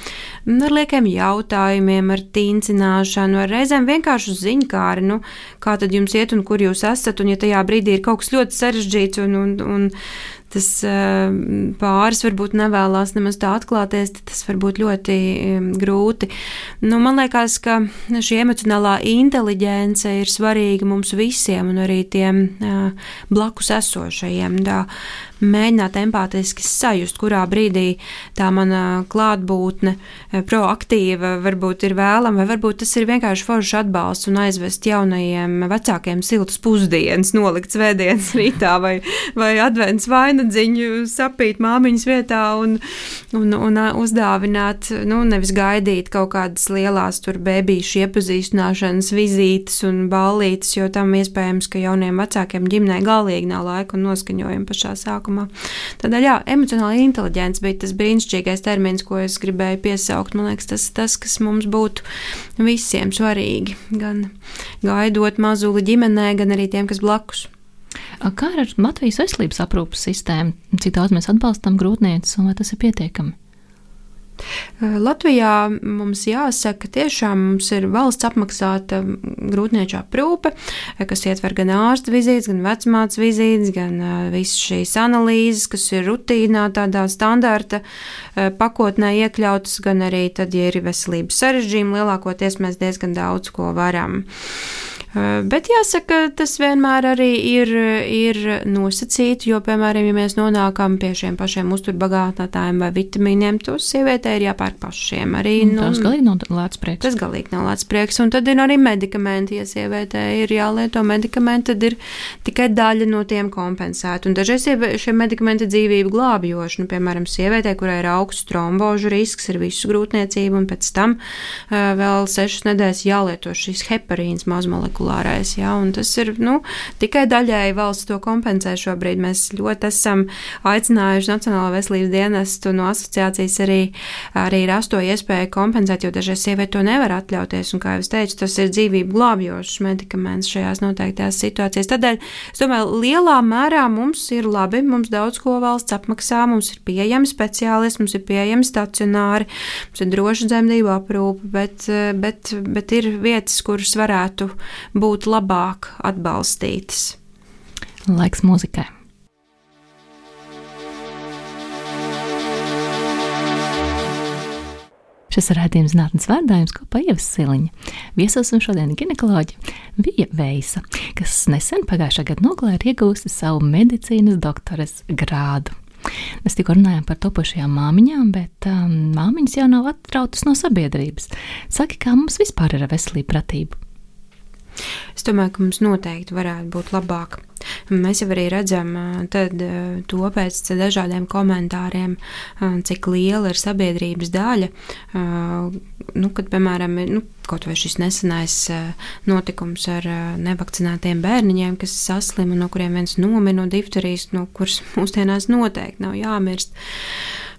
Ar liekiem jautājumiem, ar tīncināšanu, ar reizēm vienkārši ziņkāri, nu, kā tad jums iet un kur jūs esat, un ja tajā brīdī ir kaut kas ļoti sarežģīts un, un, un tas pāris varbūt nevēlās nemaz tā atklāties, tad tas var būt ļoti grūti. Nu, man liekas, ka šī emocionālā inteliģence ir svarīga mums visiem un arī tiem blakus esošajiem. Tā, mēģināt empātiski sajust, kurā brīdī tā mana klātbūtne proaktīva varbūt ir vēlama, vai varbūt tas ir vienkārši foršs atbalsts un aizvest jaunajiem vecākiem siltus pusdienas, nolikt svētdienas rītā vai, vai advents vainadziņu sapīt māmiņas vietā un, un, un uzdāvināt, nu, nevis gaidīt kaut kādas lielās tur bēbīšu iepazīstināšanas vizītes un ballītes, jo tam iespējams, ka jauniem vecākiem ģimnē galīgi nav laika un noskaņojuma pašā sākumā. Tādēļ, jā, emocionāla inteliģence bija tas brīnišķīgais termins, ko es gribēju piesaukt. Man liekas, tas ir tas, kas mums būtu visiem svarīgi. Gan gaidot mazuli ģimenē, gan arī tiem, kas blakus. Kā ar Latvijas veselības aprūpas sistēmu? Cik daudz mēs atbalstam grūtnieces un vai tas ir pietiekami? Latvijā mums jāsaka, tiešām mums ir valsts apmaksāta grūtnieču aprūpe, kas ietver gan ārsta vizītes, gan vecmātes vizītes, gan visas šīs analīzes, kas ir rutīnā tādā standarta pakotnē iekļautas, gan arī tad, ja ir veselības sarežģījumi, lielākoties mēs diezgan daudz ko varam. Bet jāsaka, tas vienmēr arī ir, ir nosacīti, jo, piemēram, ja mēs nonākam pie šiem pašiem uzturbagātinātājiem vai vitamīniem, tos sievietē ir jāpērk pašiem. Arī, nu, tas galīgi nav lēts prieks. Tas galīgi nav lēts prieks. Un tad ir arī medikamenti, ja sievietē ir jālieto medikamenti, tad ir tikai daļa no tiem kompensēta. Un dažreiz šie medikamenti dzīvību glābjoši. Nu, piemēram, sievietē, kurai ir augsts trombožu risks, ir visu grūtniecību, un pēc tam uh, vēl sešas nedēļas jālieto šīs heparīns mazmolekulārais. Jā, un tas ir, nu, tikai daļēji valsts to kompensē šobrīd. Mēs ļoti esam aicinājuši Nacionālo veselības dienestu no asociācijas arī, arī rast to iespēju kompensēt, jo dažreiz sievieti to nevar atļauties, un, kā jau es teicu, tas ir dzīvību glābjošs medikaments šajās noteiktajās situācijās. Tādēļ, es domāju, lielā mērā mums ir labi, mums daudz ko valsts apmaksā, mums ir pieejami speciālisti, mums ir pieejami stacionāri, mums ir droša dzemdību aprūpe, bet, bet, bet ir vietas, kuras varētu būt labāk atbalstītas. Laiks mūzikai. Šis ir raidījums Zinātnes vārdā, jums kopā Ieva Siliņa. Viesos un šodien ginekoloģi Vija Veisa, kas nesen pagājušā gada nogalē ir iegūsti savu medicīnas doktoras grādu. Mēs tikko runājām par topošajām māmiņām, bet um, māmiņas jau nav atrautas no sabiedrības. Saki, kā mums vispār ir ar veselību pratību? Es domāju, ka mums noteikti varētu būt labāk. Mēs jau arī redzam tad, to pēc dažādiem komentāriem, cik liela ir sabiedrības daļa. Nu, kad, piemēram, nu, kaut vai šis nesenais notikums ar nevakcinētiem bērniņiem, kas saslim un no kuriem viens nomira no difterijas, no kuras mūsdienās noteikti nav jāmirst.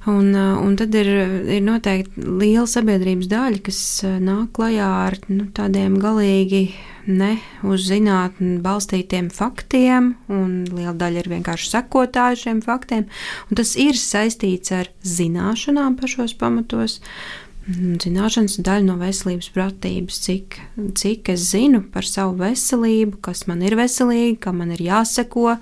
Un, un tad ir, ir noteikti liela sabiedrības daļa, kas nāk klajā ar nu, tādiem galīgi ne uz zinātni balstītiem faktiem, un liela daļa ir vienkārši sekotāji šiem faktiem. Un tas ir saistīts ar zināšanām pašos pamatos. Zināšanas daļa no veselības pratības, cik, cik es zinu par savu veselību, kas man ir veselīgi, kam man ir jāseko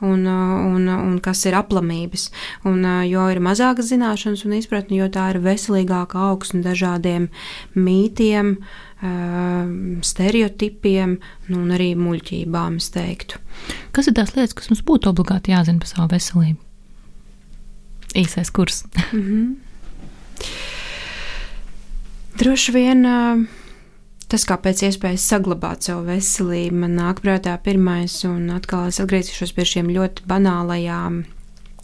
un, un, un kas ir aplamības. Un, jo ir mazākas zināšanas un izpratni, jo tā ir veselīgāka augsne dažādiem mītiem, stereotipiem nu, un arī muļķībām, es teiktu. Kas ir tās lietas, kas mums būtu obligāti jāzina par savu veselību? Īsais kurs. Mhm. Droši vien tas, kā pēc iespējas saglabāt savu veselību, man nāk prātā pirmais, un atkal es atgriezīšos pie šiem ļoti banālajām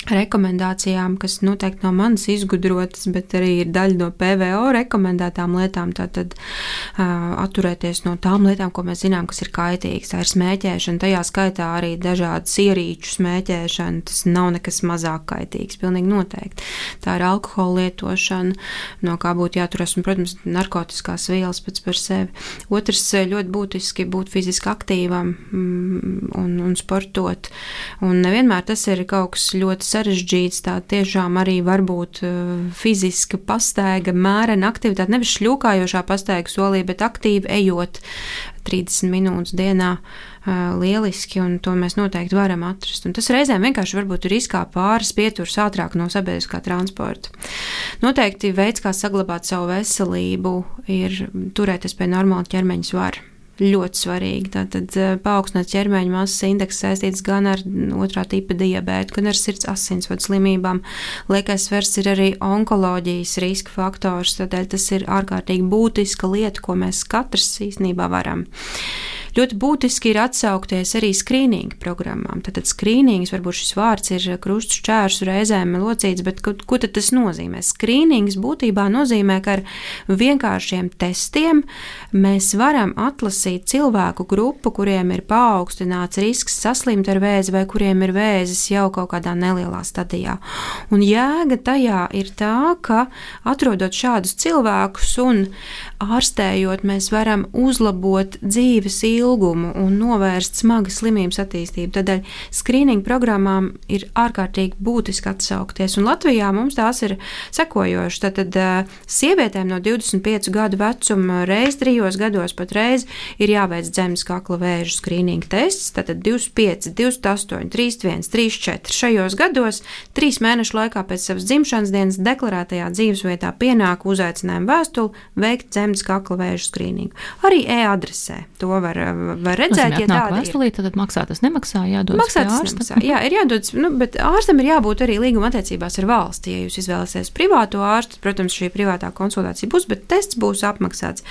rekomendācijām, kas noteikti nav manas izgudrotas, bet arī ir daļa no P V O rekomendētām lietām, tātad uh, atturēties no tām lietām, ko mēs zinām, kas ir kaitīgas. Tā ir smēķēšana, tajā skaitā arī dažādas ierīču smēķēšana, tas nav nekas mazāk kaitīgs, pilnīgi noteikti. Tā ir alkohola lietošana, no kā būtu jāturas, un, protams, narkotiskās vielas pēc par sevi. Otrs, ļoti būtiski būt fiziski aktīvam mm, un, un sportot, un nevienmēr tas ir kaut kas ļoti sarežģīts, tā tiešām arī varbūt fiziska pastaiga, mērena aktivitāte, nevis šļūkājošā pastaiga solī, bet aktīvi ejot trīsdesmit minūtes dienā lieliski, un to mēs noteikti varam atrast. Un tas reizēm vienkārši varbūt ir izkāpt pāris pieturas ātrāk no sabiedriskā transporta. Noteikti veids, kā saglabāt savu veselību, ir turēties pie normāla ķermeņa svara. Ļoti svarīgi. Tātad paaugstināts ķermeņa masas indeks saistīts gan ar otrā tipa diabētu, gan ar sirds asinsvadu slimībām. Liekais svars ir arī onkoloģijas riska faktors, tādēļ tas ir ārkārtīgi būtiska lieta, ko mēs katrs īstenībā varam. Ļoti būtiski ir atsaukties arī skrīninga programmām. Tātad skrīnings, varbūt šis vārds ir krustu šķērsu reizēm locīts, bet ko, ko tad tas nozīmē? Skrīnings būtībā nozīmē, ka ar vienkāršiem testiem mēs varam atlasīt cilvēku grupu, kuriem ir paaugstināts risks saslimt ar vēzi vai kuriem ir vēzis jau kaut kādā nelielā stadijā. Un jēga tajā ir tā, ka atrodot šādus cilvēkus un ārstējot, mēs varam uzlabot dzīves ilgumu ilgumu un novērst smagas slimības attīstību. Tādēļ skrīninga programmām ir ārkārtīgi būtiski atsaukties. Un Latvijā mums tās ir sekojošas. Tātad sievietēm no divdesmit piecu gadu vecuma reiz trijos gados pat reiz ir jāveic zemes kakla vēža skrīninga tests. Tātad divdesmit pieci, divdesmit astoņi, trīsdesmit viens, trīsdesmit četri šajos gados trīs mēnešu laikā pēc savas dzimšanas dienas deklarētajā dzīvesvietā pienāk uzaicinājumu vēstuli veikt zemes kakla vēža skrīningu. Arī e-adresē to var var redzēt, ja tāda vēstulī, ir. Tad maksā tas nemaksā, jādodas maksā pie ārsta. Nemaksā, jā, ir jādodas, nu, bet ārstam ir jābūt arī līguma attiecībās ar valsti. Ja jūs izvēlēsieties privāto ārstu, protams, šī privātā konsultācija būs, bet tests būs apmaksāts.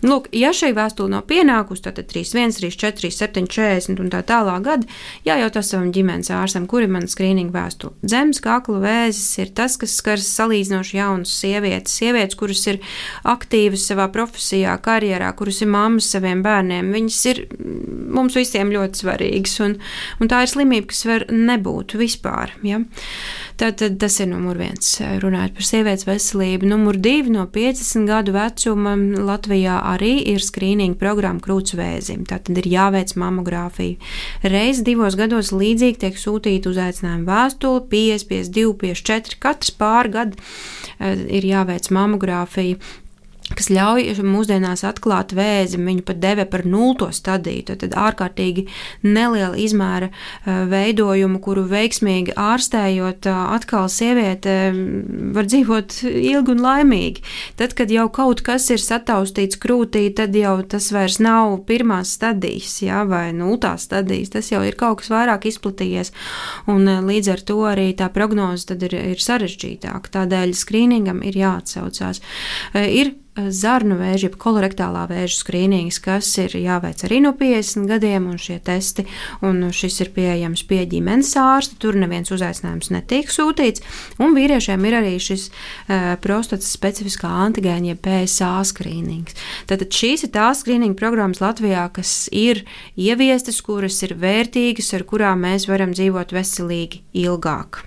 Lūk, ja šī vēstule nav pienākusi, tad trīsdesmit viens, trīsdesmit četri, trīsdesmit septiņi, četrdesmit un tā tālāk gadi, jājautā savam ģimenes ārstam, kur ir mana skrīninga vēstule. Zemes kakla vēzis ir tas, kas skars salīdzinoši jaunas sievietes, sievietes, kuras ir aktīvas savā profesijā, karjerā, kuras ir mammas saviem bērniem. Viņas ir mums visiem ļoti svarīgs, un, un tā ir slimība, kas var nebūt vispār. Ja? Tātad tas ir numur viens, runājot par sievietes veselību. Numur divi, no piecdesmit gadu vecuma Latvijā arī ir skrīninga programma krūts vēzim. Tātad ir jāveic mamogrāfija. Reiz divos gados līdzīgi tiek sūtīta uzaicinājuma vēstule, pieci, pieci divi, pieci četri, katrs pāri gadu ir jāveic mamogrāfija, kas ļauj mūsdienās atklāt vēzi, viņu pat deve par nulto stadiju, tad ārkārtīgi neliela izmēra veidojumu, kuru veiksmīgi ārstējot, atkal sieviete var dzīvot ilgi un laimīgi. Tad, kad jau kaut kas ir sataustīts krūtī, tad jau tas vairs nav pirmās stadijas, jā, vai nultās stadijas, tas jau ir kaut kas vairāk izplatījies, un līdz ar to arī tā prognoze tad ir, ir sarežģītāka. Tādēļ skrīningam ir jāatsaucās. Ir zarnu vēža, jeb kolorektālā vēža skrīnings, kas ir jāveic arī no piecdesmit gadiem, un šie testi, un šis ir pieejams pie ģimenes ārsta, tur neviens uzaicinājums netiek sūtīts, un vīriešiem ir arī šis uh, prostatas specifiskā antigēna, jeb P S A skrīnings. Tātad šīs ir tās skrīninga programmas Latvijā, kas ir ieviestas, kuras ir vērtīgas, ar kurām mēs varam dzīvot veselīgi ilgāk.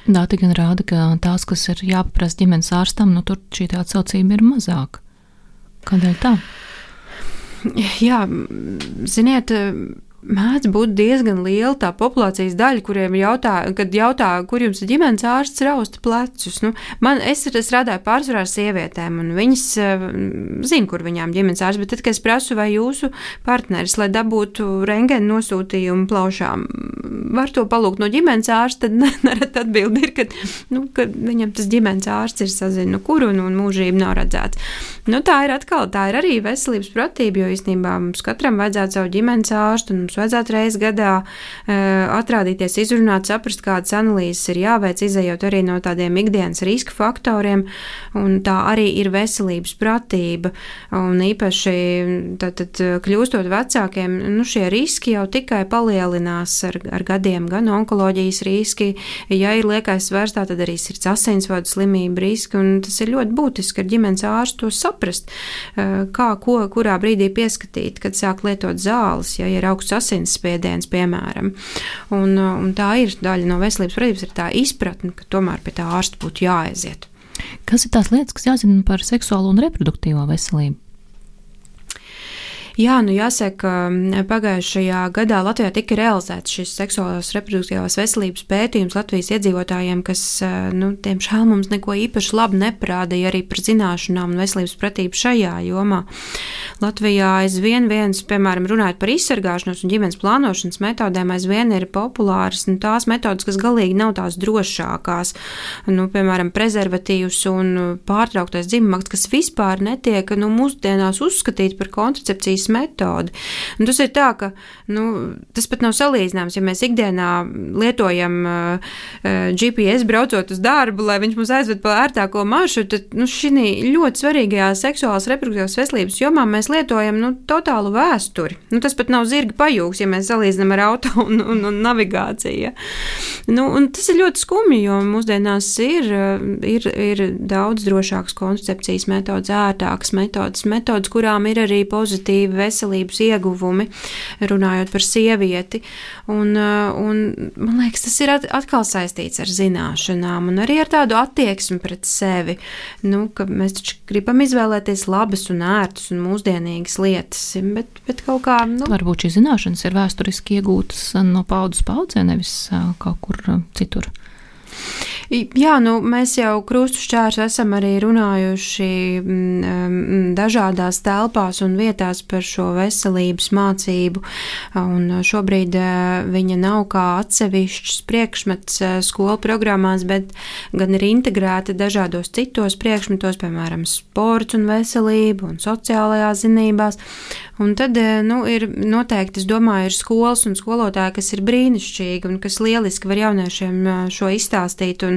Dati gan rāda, ka tās, kas ir jāpaprasa ģimenes ārstam, nu tur šī atsaucība ir mazāka. Kādēļ tā? Jā, ziniet, mēdz būt diezgan liela tā populācijas daļa, kuriem jautā, kad jautā, kur jums ir ģimenes ārsts rausta plecus. Nu, man, es strādāju pārsvarā ar sievietēm, un viņas uh, zina, kur viņām ģimenes ārsts, bet tad, kad es prasu, vai jūsu partneris, lai dabūtu rentgena nosūtījumu plaušām, var to palūgt no ģimenes ārsta, tad nerad atbildi ir, ka, nu, ka viņam tas ģimenes ārsts ir sazina, nu, kur un, un mūžību nav redzēts. Nu, tā ir atkal, tā ir arī veselības pratība, jo īstenībā mums katram vajadzētu savu ģimenes ārstu, un mums vajadzētu reiz gadā uh, atrādīties, izrunāt, saprast, kādas analīzes ir jāveic, izējot arī no tādiem ikdienas riska faktoriem, un tā arī ir veselības pratība, un īpaši tātad kļūstot vecākiem, nu šie riski jau tikai palielinās ar, ar gadiem, gan onkoloģijas riski, ja ir liekais svars, tad arī sirds asinsvadu slimību riski, un tas ir ļoti būtiski ar ģimenes ārstu to saprast, uh, kā, ko, kurā brīdī pieskatīt, kad sāk lietot zāles, ja ir augsts asinsspiediens, piemēram. Un, un tā ir daļa no veselības pratības, ir tā izpratne, ka tomēr pie tā ārsta būtu jāaiziet. Kas ir tās lietas, kas jāzina par seksuālo un reproduktīvo veselību? Jā, nu jāsaka, pagājušajā gadā Latvijā tika realizēts šis seksuālās reproduktīvās veselības pētījums Latvijas iedzīvotājiem, kas, nu, diemžēl mums neko īpaši labi neparādīja arī par zināšanām un veselības pratību šajā jomā. Latvijā aizvien viens, piemēram, runājot par izsargāšanos un ģimenes plānošanas metodēm, aizvien ir populāras nu, tās metodas, kas galīgi nav tās drošākās. Nu, piemēram, prezervatīvs un pārtrauktais dzimumaks, kas vispār netiek nu, mūsdienās uzskatīt par kontracepcijas metodi. Un tas ir tā, ka nu, tas pat nav salīdzināms, ja mēs ikdienā lietojam uh, G P S braucot uz darbu, lai viņš mūs aizved pa ērtāko maršrutu, tad nu, šī ļoti svarīgajā seksuālās reproduktīvās veselības jomā mēs lietojam nu, totālu vēsturi. Nu, tas pat nav zirga pajūgs, ja mēs salīdzinām ar auto un, un, un navigāciju. Ja. Nu, un tas ir ļoti skumji, jo mūsdienās ir, ir, ir daudz drošākas kontracepcijas metodas, ērtākas metodas, metodas, kurām ir arī pozitīvi veselības ieguvumi, runājot par sievieti. Un, un, man liekas, tas ir atkal saistīts ar zināšanām un arī ar tādu attieksmi pret sevi. Nu, ka mēs taču gribam izvēlēties labas un ērtas un mūsdienīgas lietas, bet, bet kaut kā... Nu... Varbūt šīs zināšanas ir vēsturiski iegūtas no paudzes paudzē, nevis kaut kur citur. Jā, nu, mēs jau krustu šķērs esam arī runājuši dažādās telpās un vietās par šo veselības mācību, un šobrīd viņa nav kā atsevišķs priekšmets skolu programmās, bet gan ir integrēta dažādos citos priekšmetos, piemēram, sports un veselība un sociālajās zinībās, un tad, nu, ir noteikti, es domāju, ir skolas un skolotāji, kas ir brīnišķīgi un kas lieliski var jauniešiem šo izstāstīt, un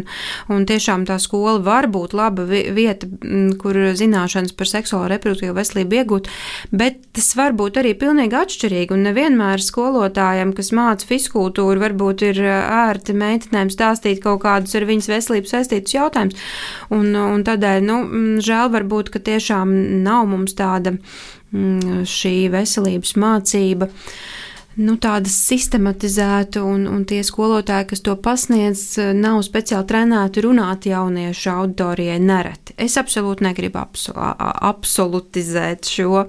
Un tiešām tā skola var būt laba vieta, kur zināšanas par seksuālo reproduktīvo veselību iegūt, bet tas var būt arī pilnīgi atšķirīgi. Un nevienmēr skolotājiem, kas māca fiskultūru, varbūt ir ērti meitenēm stāstīt kaut kādus ar viņas veselības saistītus jautājumus. Un, un tādēļ, nu, žēl varbūt, ka tiešām nav mums tāda šī veselības mācība. Nu, tāda sistematizēta, un, un tie skolotāji, kas to pasniedz, nav speciāli trenēti runāt jauniešu auditorijai nereti. Es absolūti negribu absol, absolutizēt šo,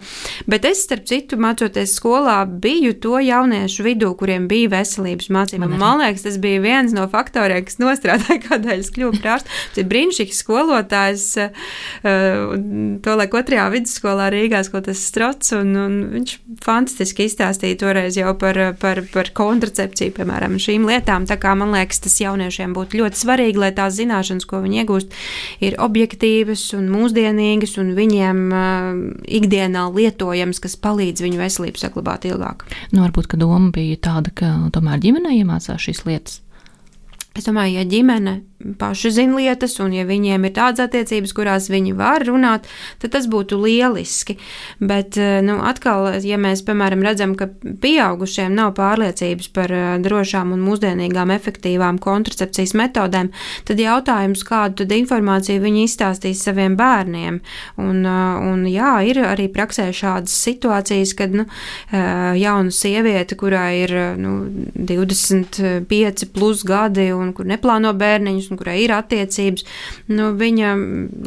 bet es, starp citu, mācoties skolā, biju to jauniešu vidū, kuriem bija veselības mācība. Man, Man liekas, tas bija viens no faktoriem, kas nostrādāja, kādēļ es kļuvu par ārstu. Tas ir brīnišķīgs skolotājs, to laik otrajā vidusskolā Rīgā, skolas Strots, un, un viņš fantastiski izstāstīja toreiz jau par, par, par kontracepciju, piemēram, šīm lietām. Tā kā man liekas, tas jauniešiem būtu ļoti svarīgi, lai tās zināšanas, ko viņi iegūst, ir objektīvas un mūsdienīgas un viņiem uh, ikdienā lietojams, kas palīdz viņu veselību saglabāt ilgāk. Nu, varbūt, ka doma bija tāda, ka tomēr ģimenei iemācās šīs lietas. Es domāju, ja ģimene paši zina lietas, un ja viņiem ir tādas attiecības, kurās viņi var runāt, tad tas būtu lieliski. Bet, nu, atkal, ja mēs, piemēram, redzam, ka pieaugušiem nav pārliecības par drošām un mūsdienīgām efektīvām kontracepcijas metodēm, tad jautājums, kādu tad informāciju viņi izstāstīs saviem bērniem. Un, un jā, ir arī praksē šādas situācijas, kad, nu, jauna sieviete, kurā ir, nu, divdesmit pieci plus gadi un kur neplāno bērniņus, un kurai ir attiecības, nu, viņa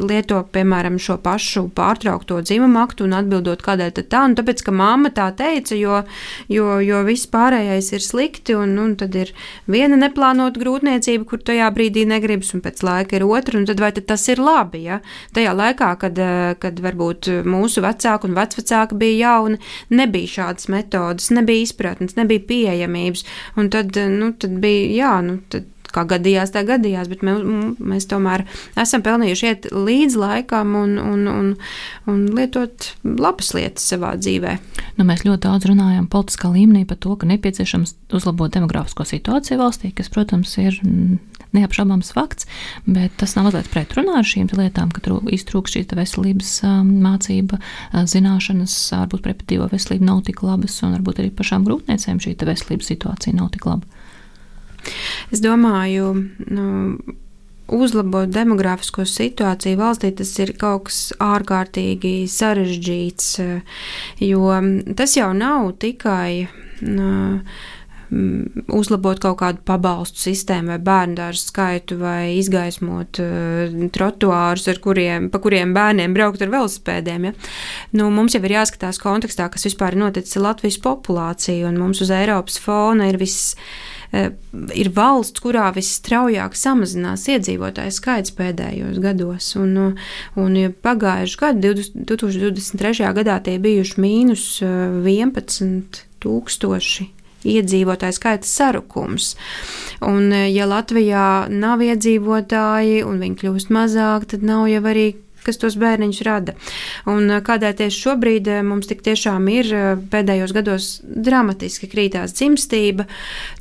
lieto, piemēram, šo pašu pārtraukto dzimumu aktu un atbildot, kādēļ tad tā, un tāpēc, ka mamma tā teica, jo, jo, jo viss pārējais ir slikti, un, un tad ir viena neplānota grūtniecība, kur tajā brīdī negribas, un pēc laika ir otra, un tad vai tad tas ir labi, ja? Tajā laikā, kad, kad varbūt mūsu vecāki un vecvecāki bija jauni, nebija šādas metodas, nebija izpratnes, nebija pieejamības, un tad, nu, tad bija, jā, nu, tad kā gadījās, tā gadījās, bet mēs, mēs tomēr esam pelnījuši iet līdz laikam un, un, un, un lietot labas lietas savā dzīvē. Nu, mēs ļoti daudz runājam politiskā līmenī par to, ka nepieciešams uzlabot demografisko situāciju valstī, kas, protams, ir neapšaubāms fakts, bet tas nav mazliet pretrunā ar šīm lietām, ka iztrūkst šī veselības mācība, zināšanas, varbūt reproduktīvo veselību nav tik labas, un varbūt arī pašām grūtniecēm šī veselības situācija nav tik laba. Es domāju, nu, uzlabot demografisko situāciju valstī, tas ir kaut kas ārkārtīgi sarežģīts, jo tas jau nav tikai nu, mm, uzlabot kaut kādu pabalstu sistēmu vai bērndārzu skaitu vai izgaismot uh, trotuārus, ar kuriem, pa kuriem bērniem braukt ar velosipēdiem. Ja? Nu, mums jau ir jāskatās kontekstā, kas vispār ir noticis ar Latvijas populāciju, un mums uz Eiropas fona ir viss ir valsts, kurā visstraujāk samazinās iedzīvotāju skaits pēdējos gados. Un, un pagājuši gadu, divtūkstoš divdesmit trešajā gadā, tie bijuši mīnus vienpadsmit tūkstoši iedzīvotāju skaita sarukums. Un, ja Latvijā nav iedzīvotāji un viņi kļūst mazāk, tad nav jau arī kas tos bērniņus rada. Un kādēļ tieši šobrīd mums tik tiešām ir pēdējos gados dramatiski krītās dzimstība,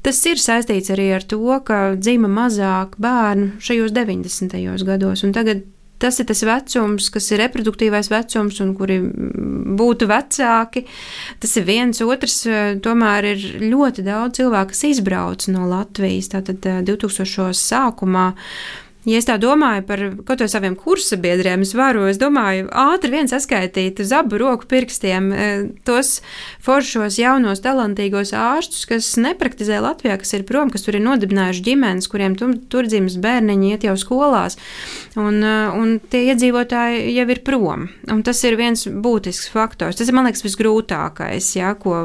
tas ir saistīts arī ar to, ka dzima mazāk bērnu šajos deviņdesmitajos gados. Un tagad tas ir tas vecums, kas ir reproduktīvais vecums un kuri būtu vecāki. Tas ir viens, otrs, tomēr ir ļoti daudz cilvēku, kas izbrauc no Latvijas. Tātad divtūkstošos sākumā. Ja es tā domāju par kaut vai saviem kursabiedriem, es varu, es domāju, ātri vien saskaitīt uz abu roku pirkstiem tos foršos, jaunos, talantīgos ārstus, kas nepraktizē Latvijā, kas ir prom, kas tur ir nodibinājuši ģimenes, kuriem tur, tur dzimis bērniņi iet jau skolās, un, un tie iedzīvotāji jau ir prom. Un tas ir viens būtisks faktors. Tas ir, man liekas, visgrūtākais, ja, ko,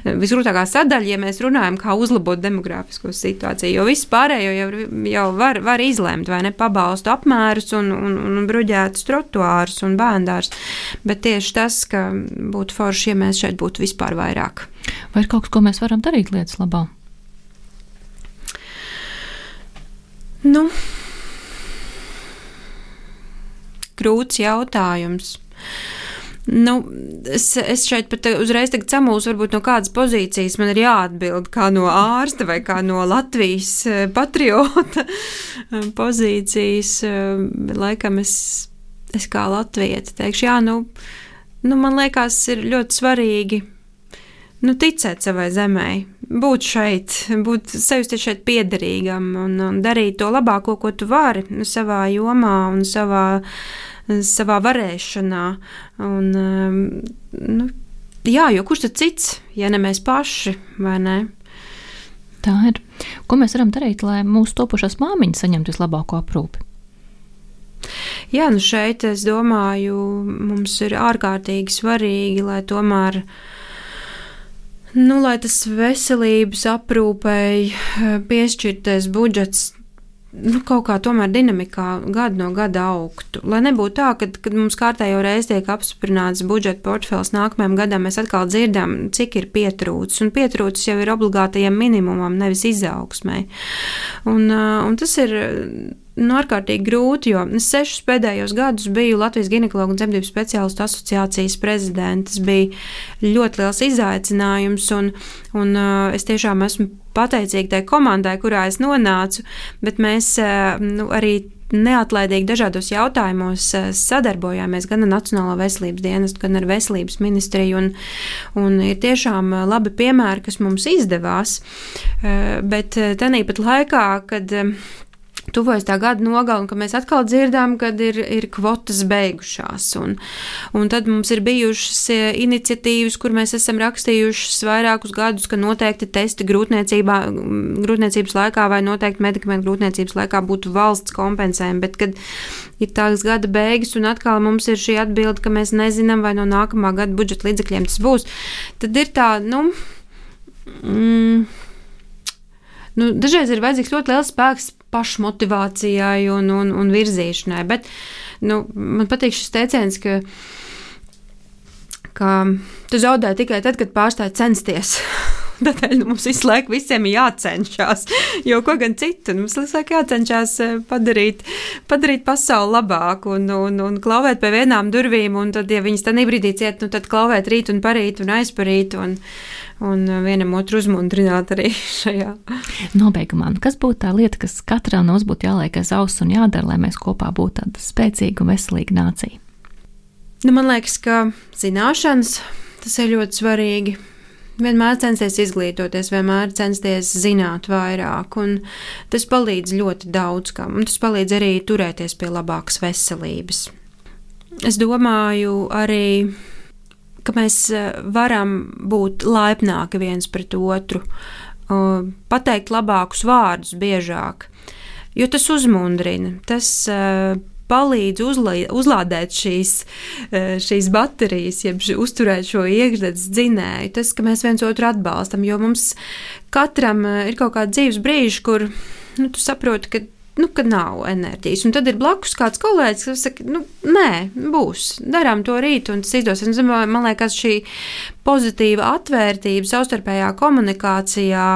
visgrūtākā sadaļa, ja mēs runājam, kā uzlabot demogrāfisko situāciju, jo viss pārējo jau, jau var, var izlemt, vai ne, pabalstu apmērus un, un, un bruģētus trotuārus un bērndārs, bet tieši tas, ka būtu forši, ja mēs šeit būtu vispār vairāk. Vai ir kaut kas, ko mēs varam darīt lietas labā? Nu, grūts jautājums. Nu, es, es šeit pat uzreiz tagad samūs varbūt no kādas pozīcijas man ir jāatbild, kā no ārsta vai kā no Latvijas patriota pozīcijas. Laikam es, es kā latvieta teikšu, jā, nu, nu, man liekas, ir ļoti svarīgi nu, ticēt savai zemē, būt šeit, būt sajusties šeit piederīgam un, un darīt to labāko, ko tu vari nu, savā jomā un savā savā varēšanā. Un, nu, jā, jo kurš tad cits, ja ne mēs paši, vai ne? Tā ir. Ko mēs varam darīt, lai mūsu topošās māmiņas saņemtu vislabāko aprūpi? Jā, nu šeit, es domāju, mums ir ārkārtīgi svarīgi, lai tomēr nu, lai tas veselības aprūpei piešķirtais budžets nu, kaut kā tomēr dinamikā gadu no gada augtu. Lai nebūtu tā, kad, kad mums kārtējo reizi tiek apstiprināts budžeta portfels nākamajam gadam, mēs atkal dzirdam, cik ir pietrūcis. Un pietrūcis jau ir obligātajam minimumam, nevis izaugsmai. Un, un tas ir nu, ārkārtīgi grūti, jo es sešus pēdējos gadus biju Latvijas ginekologu un dzemdību speciālistu asociācijas prezidents. Tas bija ļoti liels izaicinājums, un, un uh, es tiešām esmu pateicīga tai komandai, kurā es nonācu, bet mēs uh, nu, arī neatlaidīgi dažādos jautājumos uh, sadarbojāmies gan ar Nacionālo veselības dienestu, gan ar veselības ministriju, un, un ir tiešām labi piemēri, kas mums izdevās, uh, bet uh, tenīpat laikā, kad uh, tuvojas tā gada nogala, un ka mēs atkal dzirdām, kad ir, ir kvotas beigušās. Un, un tad mums ir bijušas iniciatīvas, kur mēs esam rakstījušas vairākus gadus, ka noteikti testi grūtniecībā, grūtniecības laikā vai noteikti medikamentu grūtniecības laikā būtu valsts kompensējumi, bet kad ir tās gada beigas un atkal mums ir šī atbilde, ka mēs nezinām, vai no nākamā gada budžeta līdzekļiem tas būs, tad ir tā, nu... Mm, Nu, dažreiz ir vajadzīgs ļoti liels spēks pašmotivācijai un, un, un virzīšanai, bet nu, man patīk šis teiciens, ka, ka tu zaudē tikai tad, kad pārstāj censties. Tādēļ nu, mums visu laiku visiem ir jācenšas, jo ko gan citu. Mums visu laiku jācenšas padarīt, padarīt pasauli labāku un, un, un klauvēt pie vienām durvīm, un tad, ja viņas tādā brīdī ciet, nu, tad klauvēt rīt un parīt un aizparīt un, un vienam otru uzmundrināt arī šajā. Nobeigumā, kas būtu tā lieta, kas katram no mums būtu jāliek aiz auss un jādara, lai mēs kopā būtu tāda spēcīga un veselīga nācija? Nu, man liekas, ka zināšanas, tas ir ļoti svarīgi. Vienmēr censties izglītoties, vienmēr censties zināt vairāk, un tas palīdz ļoti daudz kam, un tas palīdz arī turēties pie labākas veselības. Es domāju arī ka mēs varam būt laipnāki viens pret otru, pateikt labākus vārdus biežāk, jo tas uzmundrina, tas palīdz uzlā, uzlādēt šīs, šīs baterijas, jeb uzturēt šo iekšzemes dzinēju, tas, ka mēs viens otru atbalstam, jo mums katram ir kaut kādi dzīves brīži, kur nu, tu saproti, ka Nu, ka nav enerģijas. Un tad ir blakus kāds kolēģis, kas saka, nu, nē, būs, darām to rīt, un tas izdosies. Un, man liekas, šī pozitīva atvērtība savstarpējā komunikācijā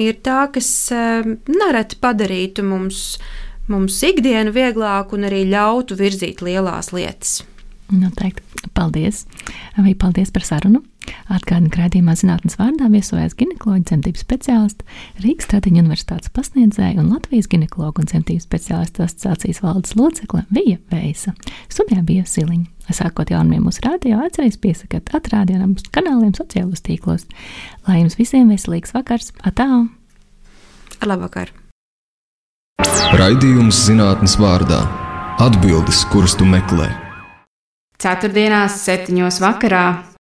ir tā, kas nereti padarītu mums, mums ikdienu vieglāku un arī ļautu virzīt lielās lietas. Noteikti. Paldies. Vai paldies par sarunu. Atgādinu, ka raidījumā Zinātnes vārdā viesojās ginekoloģa dzemdību speciāliste, Rīgas Tradiņu universitātes pasniedzēja un Latvijas ginekologu un dzemdību speciālistu asociācijas valdes locekle Vija Veisa. Studijā bija Siliņa. Sākot jaunumiem mūsu radio, atcerieties piesakot atrādījumam kanāliem sociālos tīklos. Lai jums visiem veselīgs vakars. Atā! Ar labvakar! Raidījums Zinātnes vārdā. Atbildes, kuras tu meklē. Ceturtdienās septiņos vakarā